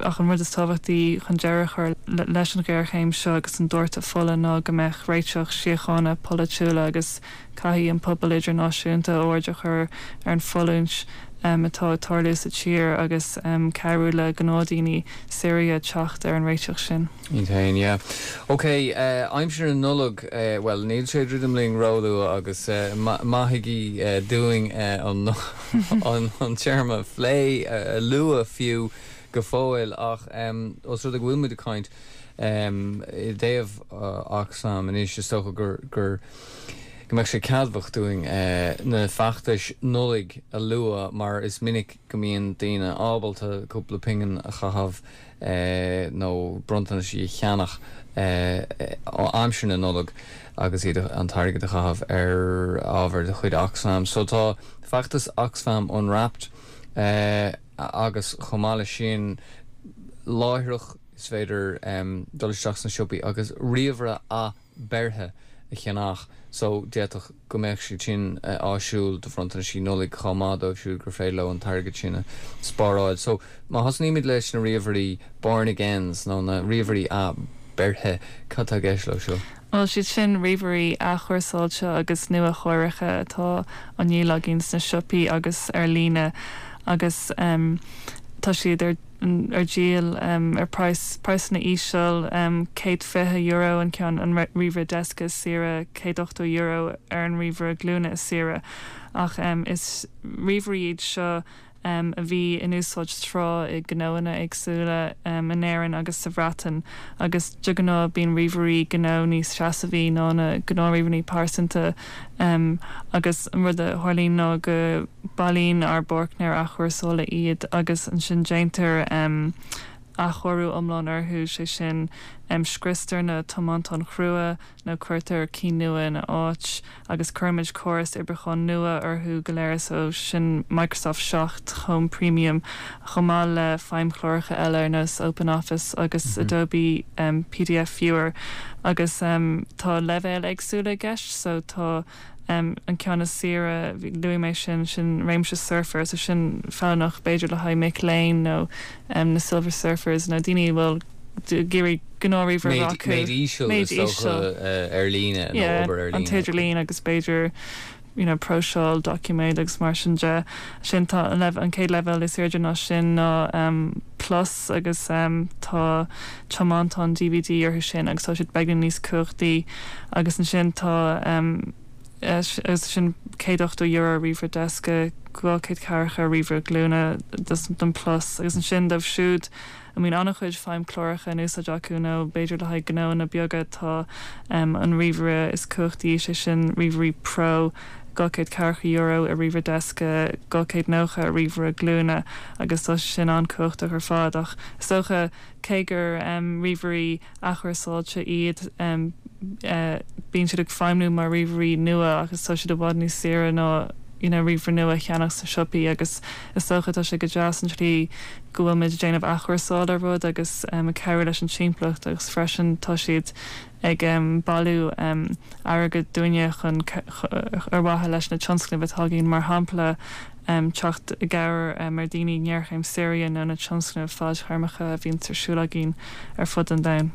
Speaker 10: ach an rud is tábhachtaí chun deireadh a chur leis an ghéarchéim seo agus an doirteadh fola ná go mbeadh réiteach síochána polaitiúla agus caithfidh an pobal idirnáisiúnta aird a chur ar an fhulaingt um, atá ag tarlú sa tír agus um, cabhrú le gnáthdhaoine Siria teacht ar an réiteach sin.
Speaker 1: Iad féin, yeah. Ok, uh, aimsir na Nollag, uh, well níl sé druidim linn róluath agus uh, maithigí uh, dúinn uh, an, an, an téarma phlé uh, lua fiú go fóill ach um, os rud go bhfuil muid ag caint um, i dtaobh uh, Oxfam anois is dócha gur gur go mbeidh sé ceadmhach dúinn uh, na feachtais Nollag a lua mar is minic go mbíonn daoine ábalta cúpla pingin a chaitheamh uh, nó bronntanais a cheannach uh, aimsir na Nollag agus iad an t-airgead a chaitheamh ar ábhar de chuid Oxfam. So tá feachtas Oxfam Unwrapped uh, agus chomh maith leis sin láithreach is féidir um, dul isteach sna siopaí agus ríomhaire athbheirthe a cheannach so d'fhéadfadh go mbeadh sé sin uh, áisiúil do bhronntanaisí Nollag chomh maith dóibh siúd gur féidir leo an t-airgead sin a spáráil. So má thosnaímid leis na ríomhairí born agains nó na ríomhairí athbheirthe cad tá i gceist leo seo.
Speaker 10: Well siad sin ríomhairí athchúrsáilte agus nua-chóirithe atá á ndíol againn sna siopaí agus ar líne agus um, tá siad ar ar díol um, ar price praghsanna íseal um, céad fiche euro an ceann an ríomhaire deasca is saoire céad ochtó euro ar an ríomhaire glúine is saoire ach um, is ríomhairí iad seo um, a bhí in úsáid tráth i gnóanna éagsúla um, in Éirinn agus sa Bhreatain agus de ghnáth bíonn ríomhairí gnó níos seasmhaí ná na gnáthríomhairí pearsanta um, agus an rud a tharlaíonn ná go mbailíonn ár bpáirtnéir athchúrsála iad agus ansin déantar um, athchóiriú iomlán orthu sé sin um, scriostar na tiomántáin chrua nó cuirtear cinn nua ina áit agus cuirimid córas oibriúcháin nua orthu go léir so sin Microsoft seacht Home Premium chomh maith le feidhmchláracha eile ar nós Open Office agus mm -hmm. Adobe um, P D F Viewer agus um, tá leibhéil éagsúla i gceist so tá um, an ceann is saoire luaigh mé sin sin réimse surfer so sin feiliúnach b'fhéidir le haghaidh mic léinn nó um, na silver surfers nó daoine bhfuil ag iarraidh gnáthríomhaire
Speaker 1: Méid íseal ar líne
Speaker 10: an t-idirlíon agus b'fhéidir you know, próiseáil doiciméad agus mar sin de sin tá an an chéad level is airde ná sin ná um, plus agus um, tá tiomántán D V D orthu sin agus tá siad beagáinín níos cumhachtaí agus ansin tá um, agus sin céad ochtó euro ríomhaire deasca dhá chéad ceathracha ríomhaire glúine don plus agus ansin dóibh siúd a mbíonn an-chuid feidhmchláracha in úsáid acu nó b'fhéidir le haghaidh gnóanna beaga tá um, an ríomhaire is cumhachtaí sé sin ríomhairí pro dhá chéad ceathracha euro ar ríomhaire deasca dhá chéad nócha ar ríomhaire glúine agus tá sin an-chumhachtach ar fad ach is dócha cé gur um, ríomhairí athchúrsáilte iad um, uh, bíonn siad ag feidhmiú mar ríomhairí nua agus tá siad i bhfad níos saoire ná you know, ríomhaire nua a cheannach sa siopaí agus is dócha tá sé go deas an tslí go bhfuil muid déanamh athchúrsáil ar rud agus um, ag cabhrú leis an timpeallacht agus freisin tá siad ag um, bailiú um, airgead dúinne chun ar mhaithe leis na tionscnaimh atá againn mar shampla um, teacht i gcabhair um, ar daoine ngéarchéim Siria nó na tionscnaimh fadtéarmacha a bhíonn ar siúl againn ar fud an domhain.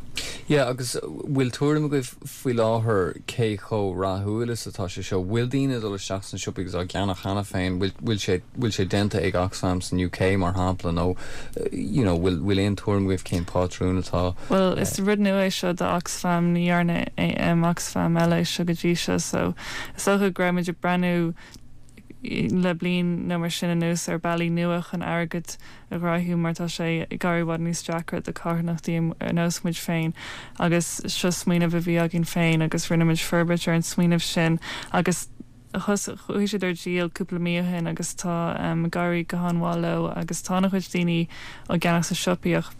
Speaker 1: Ja, agus bhfuil tuairim agaibh faoi láthair cé chomh rathúil is atá sé seo bhfuil daoine dul isteach sna siopaí agus á gceannach cheana féin bhfuil sé bhfuil sé déanta ag Oxfam san U K mar shampla nó you know, bhfuil bhfuil aon tuairim agaibh cén pátrún atá
Speaker 10: Well is rud nua é seo do Oxfam ní dhearna um, Oxfam eile seo go dtí seo so is dócha go raibh muid ag breathnú le bliain nó mar sin anuas ar bealaí nua chun airgead a ghnóthú mar tá sé ag éirí i bhfad níos deacra do charthanachtaí ar nós muid féin agus seo smaoineamh a bhí againn féin agus rinne muid forbairt ar an smaoineamh sin agus chuaigh siad ar díol cúpla mí ó shin agus tá um, ag éirí go han-mhaith leo agus tá an-chuid daoine á gceannach sa siopaí ach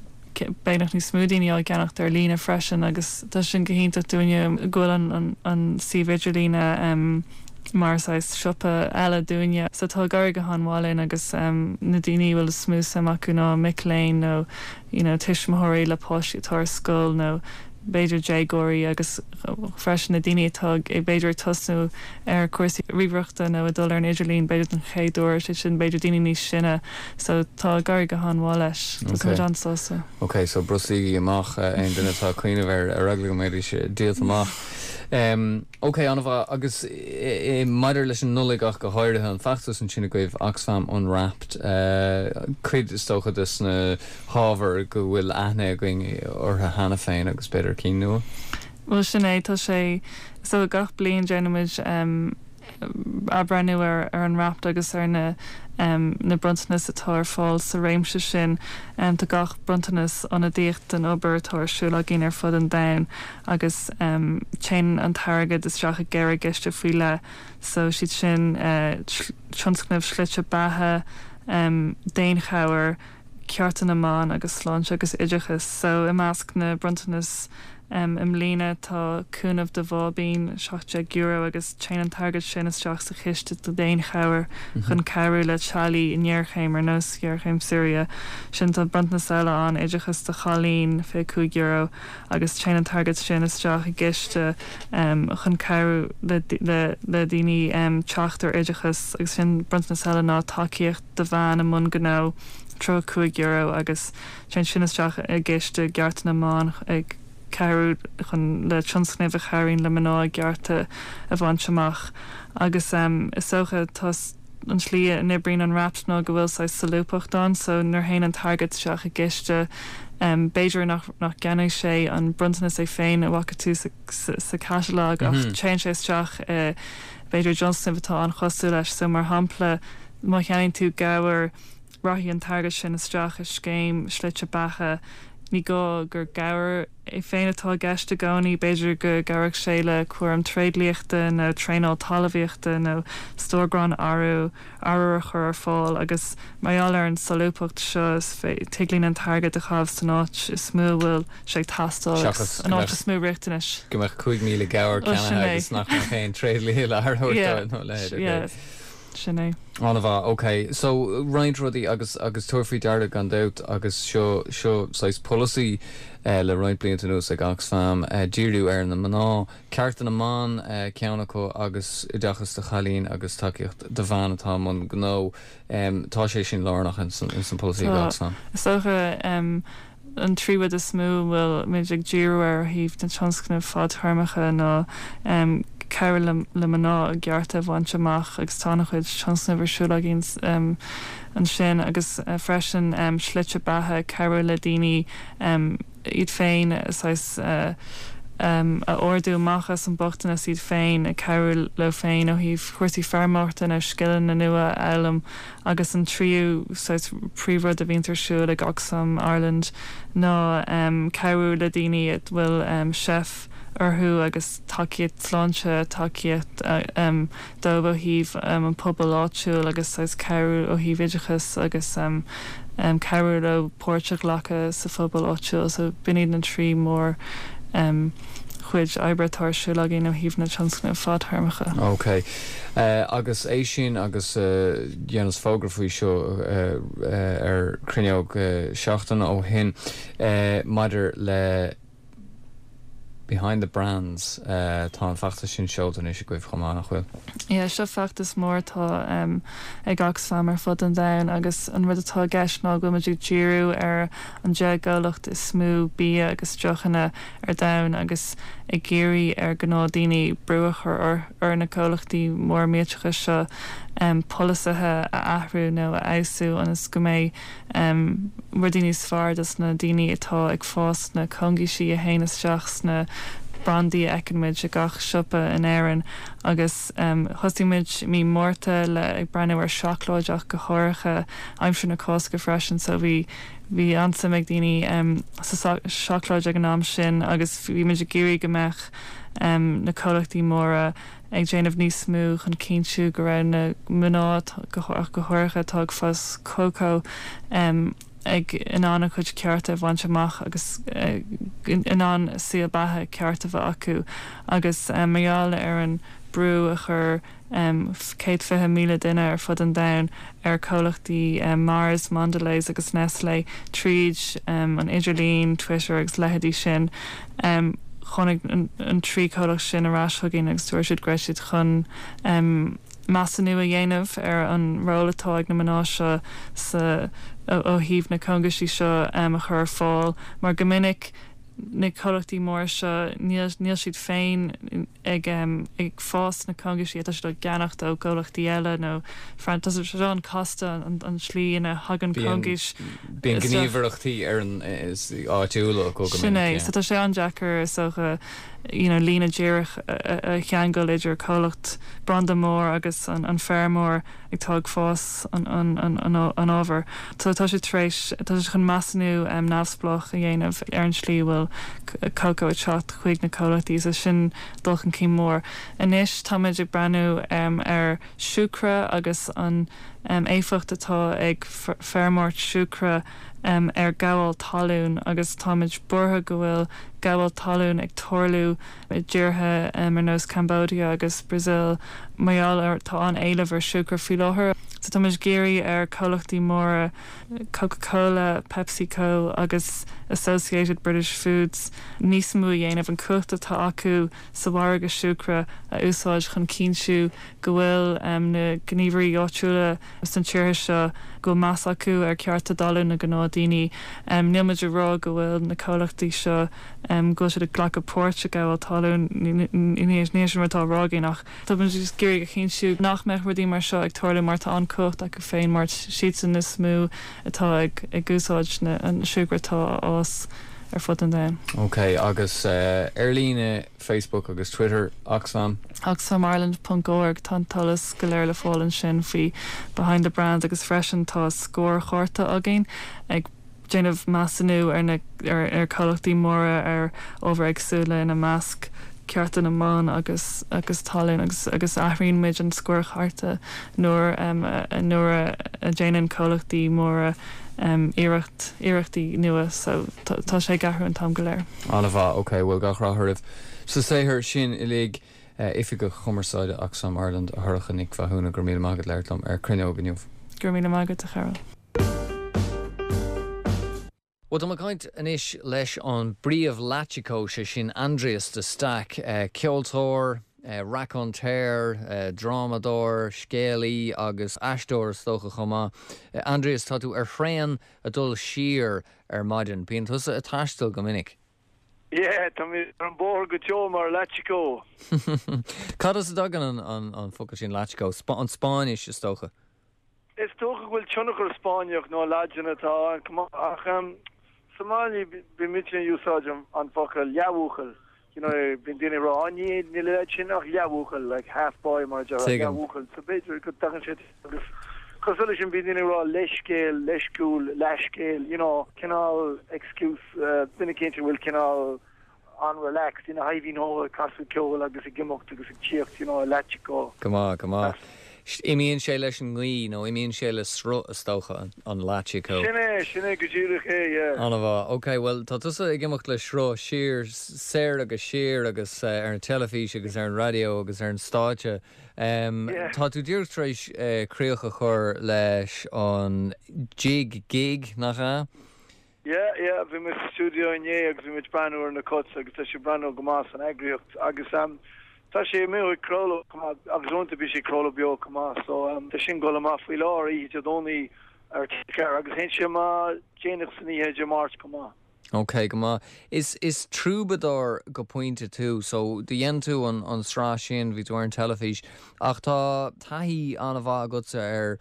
Speaker 10: beagnach níos mó daoine á gceannacht ar líne freisin agus tá sin go hiontach dúinne go bhfuil an, an, an suíomh idirlíne um, mar saghas siopa eile dúinne. So tá ag éirí go han-mhaith linn agus um, na daoine bhfuil is mó suim acu ná mic léinn nó you know, tuismitheoirí le páistí atá ar scoil nó b'fhéidir déagóirí agus freisin na daoine atá ag b'fhéidir tosnú ar cúrsaí ríomhaireachta nó ag dul ar an idirlíon b'fhéidir den chéad uair sé sin b'fhéidir daoine níos sine so tá ag éirí go han-mhaith leis
Speaker 1: Okay.
Speaker 10: an-sásta.
Speaker 1: Ok, so brostaígí amach uh, aon duine atá ag cuimhneamh ar ar eagla go mbeidh sé díolta amach. Um, ok an-mhaith agus i, i, maidir leis an Nollaig ach go háirithe an feachtas ansin agaibh Oxfam Unwrapped uh, cuid is dócha des na hábhair go bhfuil aithne againn orthu cheana féin agus b'fhéidir cinn nua.
Speaker 10: Well sin é tá sé so gach bliain déanaimid um, athbhreithniú ar ar Unwrapped agus ar na um, na bronntanais atá ar fáil sa réimse sin um, tá gach bronntanas ionadaíoch den obair atá ar siúl againn ar fud an domhain agus um, téann an t-airgead isteach i gceithre chiste faoi leith so siad sin uh, tionscnamh slite beatha um, daonchabhair cearta na mban agus sláinte agus oideachas so i measc na bronntanas um, i mbliana tá cúnamh do bháibín seacht déag euro agus téann an t-airgead sin isteach sa chiste do daonchabhair chun cabhrú le teaghlaigh i ngéarchéim ar nós géarchéim Siria sin tá bronntanas eile an oideachas do chailín fiche cúig euro agus téann an t-airgead sin isteach i gciste um, chun cabhrú le, le, le daoine um, teacht ar oideachas agus sin bronntanas eile ná tacaíocht do bhean i mbun gnó tríocha cúig euro agus téann sin isteach i gciste cearta na mban ag cabhrú chun le tionscnaimh a chabhraíonn le mná cearta a bhaint amach agus um, is dócha tá an tslí a n-oibríonn Unwrapped ná go bhfuil sé solúbtha ann so nuair a théann an t-airgead isteach i gciste um, b'fhéidir nach nach gceannóidh sé an bronntanas é féin a bhfaca tú sa, sa, sa catalog ach mm -hmm. téann sé isteach uh, b'fhéidir tionscnamh atá an-chosúil leis so mar shampla má cheannaíonn tú gabhar rachaidh an t-airgead sin isteach i scéim slite beatha ní gá gur gabhar é féin atá i gceist i gcónaí b'fhéidir go gcuirfeadh sé le cúram tréidliachta nó traenáil talmhaíochta nó stór grán arbhair arbhair a chur ar fáil agus mar gheall ar an solúbthacht seo tig linn an t-airgead a chaitheamh san áit is mó a bhfuil sé ag teastáil an áit is mó riachtanais.
Speaker 1: Go mbeadh cúig míle gabhar ceannaithe agus nach mbeadh aon tréidlia le nó le.
Speaker 10: Sin é.
Speaker 1: An-mhaith, ok. So roinnt rudaí agus agus tabhair faoi deara gan dabht agus seo seo saghas polasaí uh, le roinnt blianta anuas ag Oxfam uh, díriú ar na mná cearta na mban uh, ceann acu agus oideachas do chailín agus tacaíocht do bhean atá i mbun gnó um, tá sé sin lárnach in san, in san polasaí ag Oxfam.
Speaker 10: Is dócha um, an trí rud is mó a bhfuil muid ag díriú ar thaobh na tionscnaimh fadtéarmacha ná um, cabhrú le, le mná a gcearta a bhaint amach agus tá an-chuid tionscnamh ar siúl againn um, ansin agus uh, freisin um, slite beatha cabhrú le daoine um, iad féin saghas uh, um, a ardú amach as an bochtanas iad féin ag cabhrú leo féin ó thaobh cúrsaí feirmeoireachta nó scileanna nua a fhoghlaim agus an tríú saghas príomhrud a bhíonn ar siúl ag Oxfam Ireland ná um, cabhrú le daoine a bhfuil um, seif orthu agus tacaíocht sláinte tacaíocht uh, um, dóibh ó thaobh um, an pobal áitiúil agus saghas cabhrú ó thaobh oideachas agus um, um, cabhrú leo páirt a ghlacadh sa phobal áitiúil so b'in iad na trí mór um, chuid oibre atá ar siúl againn ó thaobh na tionscnaimh fadtéarmacha.
Speaker 1: Ok. Uh, agus é sin agus uh, dhéanas fógra faoi seo uh, uh, ar Cruinneog uh, seachtain ó shin uh, maidir le Behind the Brands uh, tá an feachtas sin seolta anois agaibh chomh maith nach bhfuil.
Speaker 10: Yeah, seo feachtas mór atá um, ag Oxfam ar fud an domhain agus an rud atá i gceist ná go bhfuil ag díriú ar an deich gcomhlacht is mó bia agus deochanna ar domhan agus ag iarraidh ar gnáthdhaoine brú a chur ar, ar na comhlachtaí mór millteacha seo um, polasaithe a athrú nó a fheabhsú ionas go mbeidh um, rudaí níos fearr dos na daoine atá ag fás na cóngaiseanna a théann isteach sna brandaí a fheiceann muid i gach siopa in Éirinn agus um, thosaigh muid mí Márta le ag breathnú ar seacláid ach go háirithe aimsir na Cásca freisin so bhí bhí an-suim ag daoine um, sa seacláid ag an am sin agus bhí muid ag iarraidh go mbeadh um, na comhlachtaí móra ag déanamh níos mó chun cinntiú go raibh na mná go go háirithe atá ag fás cócó um, ag in ann a chuid cearta a bhaint amach agus uh, in ann saol beatha ceart a bheith acu agus um, mar gheall ar an brú a chur céad fiche míle duine ar fud an domhain ar comhlachtaí Mars, Mondelez agus Nestlé tríd an idirlíon, Twitter agus leithéidí sin. Tháinig an trí chomhlacht sin ar ais chugainn agus dúirt siad go raibh siad chun measúnú a dhéanamh ar an ról atá ag na mná seo sa ó thaobh na cógaisí seo a chur ar fáil mar go minic na comhlachtaí móra seo níl níl siad féin ag ag fás na cógaisí tá siad á gceannacht ó chomhlachtaí eile nó tá sé an-chasta an an slí ina thagann cógais
Speaker 1: Bíonn gníomhaireachtaí ar an áitiúla go
Speaker 10: Sin é so tá sé an-deacair is dócha you know líne díreach a cheangal idir comhlacht branda mór agus an an feirmeoir atá ag fás an an an an an ábhar. So tá sé tar éis tá sé chun measúnú um, neamhspleách a dhéanamh ar an slí bhfuil cócó ag teacht chuig na comhlachtaí so sin dul chun cinn mór. Anois táimid ag breathnú um, ar siúcra agus an um, éifeacht atá ag feirmeoireacht siúcra um, ar ghabháil talún agus táimid buartha go bhfuil gabháil talún ag tarlú i dtíortha um, ar nós Cambodia agus Brazil mar gheall ar tá an éileamh ar siúcra faoi láthair. So táimid ag iarraidh ar comhlachtaí móra Coca-Cola, PepsiCo agus Associated British Foods níos mó a dhéanamh an cumhacht atá acu sa mhargadh siúcra a úsáid chun cinntiú go bhfuil um, na gníomhairí áitiúla sna tíortha seo go meas acu ar cearta talún na gnáthdhaoine. Um, Níl muid ag rá go bhfuil na comhlachtaí seo um, go siad ag glacadh páirt i gabháil talún ní sin atá á rá againn ach Tá muid ag iarraidh a chinntiú nach mbeadh rudaí mar seo ag tarlú mar tá an cumhacht acu féin mar siadsan is mó atá ag ag úsáid na an siúcra atá á fhás ar fud an domhain.
Speaker 1: Ok agus uh, ar líne Facebook agus Twitter Oxfam.
Speaker 10: Oxfamireland.org tá an t-eolas go léir le fáil ansin faoi Behind the Brands agus freisin tá scórchárta againn ag déanamh measúnú ar na ar, ar comhlachtaí móra ar ábhair éagsúla ina measc cearta na mban agus agus talún agus agus athraíonn muid an scórchárta nuair um, nuair a déanann comhlachtaí móra um, iarracht iarrachtaí nua so tá sé ag athrú an t-am go léir.
Speaker 1: An-mhaith ok bhfuil gach rath oraibh. Sa saothar sin uilig uh, Oifigeach Cumarsáide Oxfam Ireland a Shorcha Nic Mhathúna go raibh míle maith agat labhairt liom ar Cruinneog inniu.
Speaker 10: Gur mí mágad a cheil.
Speaker 1: Well tá caint anois leis an bpríomh-latchikó sé sin Aindrias de Staic, uh, ceoltóir, uh, raconteur, uh, drámadóir, scéalaí agus aisteoir is dócha chomh maith. Uh, Aindrias tá tú ar thraein ag dul siar ar maidin, bíonn tusa ag taisteal go minic.
Speaker 11: Yeah, tá mé ar an bóthar go deo mar latchikó.
Speaker 1: Cad as a dtagann an, an, an focal sin latchikó, Sp an Spáinnis is dócha.
Speaker 11: Is dócha go bhfuil tionchar Spáinneach nó Laidin atá ann ach um, sa mbaile bímid ag úsáid an focal leathbhuachaill. You know, bíonn daoine rá ní níl sin ach leathbhuachaill like half boy mar leathbhuachaill so b'fhéidir go dtagann sé agus cosúil sin bíonn daoine rá leithscéal, leisciúil, leathscéal, you know, cineál excuse uh, duine cinnte bhfuil cineál an-relaxed ina haihín ó casadh ceoil agus ag imeacht agus ag tíocht you know, latchikó.
Speaker 1: Go maith go maith. Imíonn sé leis an ngaoth nó imíonn sé le sruth is dócha an latchikó.
Speaker 11: Sin é sin é go díreach é
Speaker 1: An-mhaith Ok, well tá tusa ag imeacht le sruth siar soir agus siar agus uh, ar an teilifís agus ar an raidió agus ar an stáitse. Um, yeah. Tá tú díreach tar éis uh, críoch a chur leis an Jig Gig nach ea?
Speaker 11: Yeah, yeah, bhí mé sa studio inné agus bhí muid breathnú ar na cuts agus tá sé breathnú go maith san eagraíocht agus um, tá sé mé ag craoladh agus uaireanta bíonn sé craoladh beo go maith so um, tá sin go maith faoi láthair í Dé Domhnaigh ar ceir agus hen sé má déanach san oíche Dé Máirt go maith.
Speaker 1: Ok go maith. Is is troubadour go pointe tú, so dhein tú an an sraith sin bhí tú ar an teilifís ach tá taithí an-mhaith agatsa ar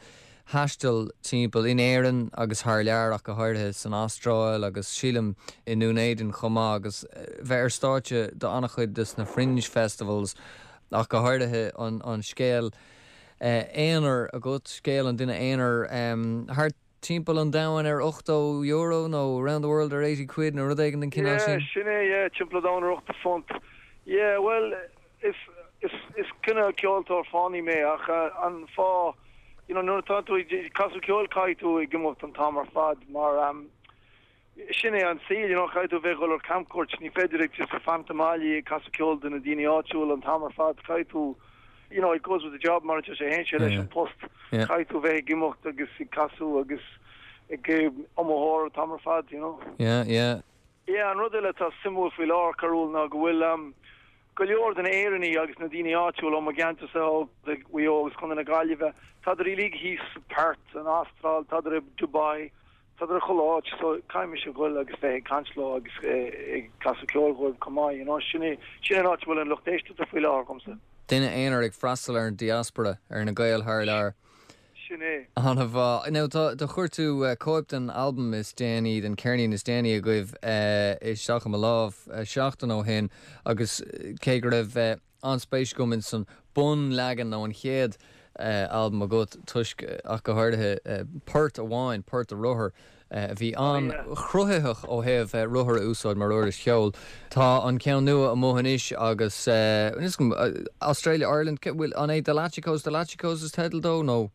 Speaker 1: thaisteal timpeall in Éirinn agus thar lear ach go háirithe san Astráil agus sílim i nDún Éideann chomh maith agus bheith ar stáitse do an-chuid des na Fringe Festivals ach go háirithe an, an scéal uh, aonair agat scéal an duine aonair um, thar timpeall an domhain ar ochtó euro nó round the world ar eighty quid nó rud éigin den chineál sin?
Speaker 11: Sin é timpeall an domhain ar ochtó phunt. Yeah, well is is is cineál ceoltóir fánaí mé ach uh, an fáth you know nuair atá tú ag casadh ceoil caithfidh tú ag imeacht an t-am ar fad mar um, sin é an saol you know caithfidh tú bheith dul ar camchuairt ní féidir ag just fanacht sa mbaile ag casadh ceoil do na daoine áitiúil an t-am ar fad caithfidh tú you know, it goes with the job mar sé théann sé leis an post caithfidh tú bheith ag imeacht agus ag casadh agus ag iomaitheoir an t-am ar fad, you know.
Speaker 1: Yeah, yeah.
Speaker 11: Yeah, an rud eile atá suimiúil faoi láthair Carúil ná go bhfuil um, go leor de na Éireannaigh agus na daoine áitiúil ó mo cheantarsa ó Mhaigh Eo agus Contae na Gaillimhe, tádar uilig thíos Perth an Astráil, tádar i Dubai, tádar chuile áit so caithfidh mise goil agus bheith ag caint leo agus ag casadh ceoil dhóibh chomh maith, you know, sin é sin an áit bhfuil an lucht éisteachta faoi láthair agamsa.
Speaker 1: Duine aonair ag freastal ar an diaspora ar na Gaeil thar lear.
Speaker 11: Sin é.
Speaker 1: An-mhaith. Now tá do chuir tú uh, cóip den album is déanaí den ceirnín is déanaí agaibh uh, isteach i mo lámh uh, seachtain ó shin agus cé go raibh uh, an-spéis agam in san bunleagan nó an chéad uh, album agat toisc ach go háirithe uh, port amháin port a rothar a bhí an-chruthaitheach ó thaobh uh, rothar a úsáid mar uirlis cheoil. Tá an ceann nua amuigh anois agus uh, uh, Australia Ireland bhfuil an é The Latchikos The Latchikos is teideal dó nó?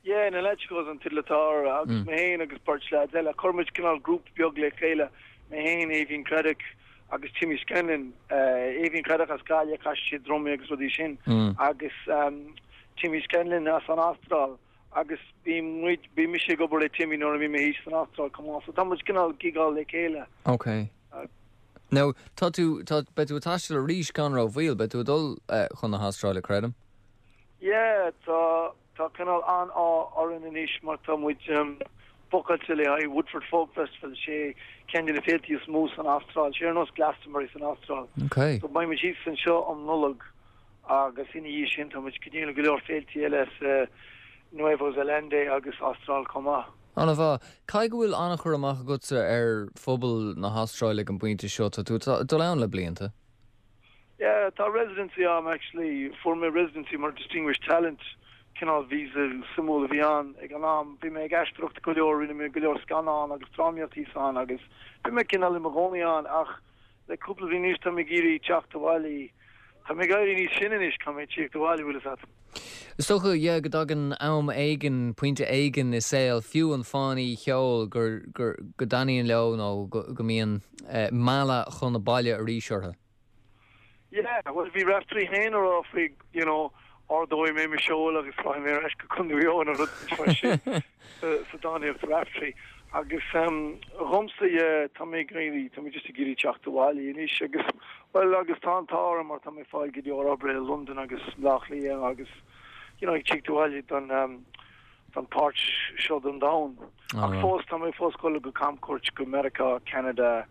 Speaker 11: Yeah, na Latchikos an teideal atá air agus mm. mé féin agus beirt leaids eile chuir muid cineál grúpa beag le chéile mé féin Aoibhín Craddock agus Timmy Scanlon uh, Aoibhín Craddock as Gaillimh casann sé drumaí agus rudaí sin mm. agus um, Timmy Scanlon as an Astráil agus bhí muid bhí mise ag obair le Timmy nuair a bhí mé san Astráil chomh maith so tá muid cineál gigáil le chéile.
Speaker 1: Okay. Uh, Now tá tú tá beidh tú ag taisteal arís gan rómhoill beidh tú ag dul uh, chun na hAstráile creidim?
Speaker 11: Yeah, tá tá cineál an-ádh orainn anois mar tá muid um, bookáilte le haghaidh Woodford Folk Festival sé ceann de na féilte is mó san Astráil, sé ar nós Glastonbury san Astráil.
Speaker 1: Okay.
Speaker 11: So beidh muid thíos anseo um Nollaig agus ina dhiaidh sin tá muid go dtí go leor féilte eile uh, Nueva Zelanda agus Astráil chomh maith.
Speaker 1: An-mhaith Caithfidh go bhfuil an-chur amach agatsa ar phobal na hAstráile ag an bpointe seo tá tú dul ann le blianta.
Speaker 11: Yeah, tá residency am actually fuair mé residency mar distinguished talent cineál visa suimiúil a bhí ann ag an am bhí mé ag aisteoireacht go leor rinne mé go leor scannán agus drámaíocht ann agus bhí mé cineál i mo chónaí ann ach le cúpla bliain anois tá mé ag iarraidh teacht abhaile Tá mé ag éirí níos sine anois caithfidh mé teacht abhaile bhfuil a fhios agat.
Speaker 1: Is dócha yeah, go dtagann am éigin pointe éigin i saol fiú an fánaí cheoil gur gur go dtaitníonn leo nó go, go mbíonn uh, mealladh chun na baile arís orthu.
Speaker 11: Yeah, well bhí Raftery féin ag rá faoi you know ardóidh mé mo sheol agus rachaidh mé ar ais go Contae Mhaigh Eo nó rud sa drámaíocht Raftery agus um, dhomsa tá mé ag iarraidh tá mé just ag iarraidh teacht abhaile anois agus well agus tá an t-ádh mar tá mé ag fáil go leor oibre i London agus Baile Átha Cliath agus you know ag teacht abhaile don um, don páirt seo den domhan. Ach fós tá mé fós ag dul go camchuairt go America, Canada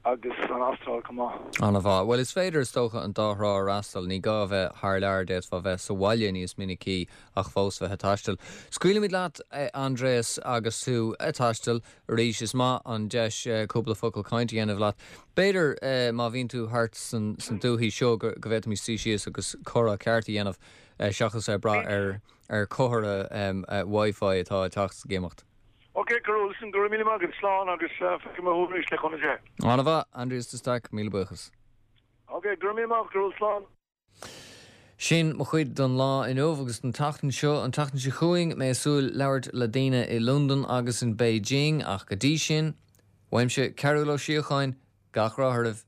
Speaker 11: agus an Astráil chomh maith.
Speaker 1: An-mhaith. Well is féidir is dócha an dá thrá a fhreastal ní gá bheith thar lear d'fhéadfá bheith sa bhaile níos minicí ach fós bheith ag taisteal. Scaoilfimid leat eh, Andreas agus tú ag taisteal arís is maith an deis eh, cúpla focal cainte a dhéanamh leat. B'fhéidir eh, má bhíonn tú thart san, san dúiche seo go go bhféadfaimis suí síos agus comhrá ceart a dhéanamh seachas ar brath ar ar chomhartha um, uh, Wi-Fi atá ag teacht ag imeacht.
Speaker 11: Ok, Carol, sin go mí agus slán agus feicfidh mé thú arís le cúnamh Dé.
Speaker 1: An-mhaith Andreas de Staic míle buíochas.
Speaker 11: Ok, go mí go slán.
Speaker 1: Sin mo chuid don lá inniu agus an tseachtain seo an tseachtain seo chugainn mé ag súil labhairt le daoine i London agus in Beijing ach go dtí sin, Uaimse Cearúil Ó Síocháin gach rath oraibh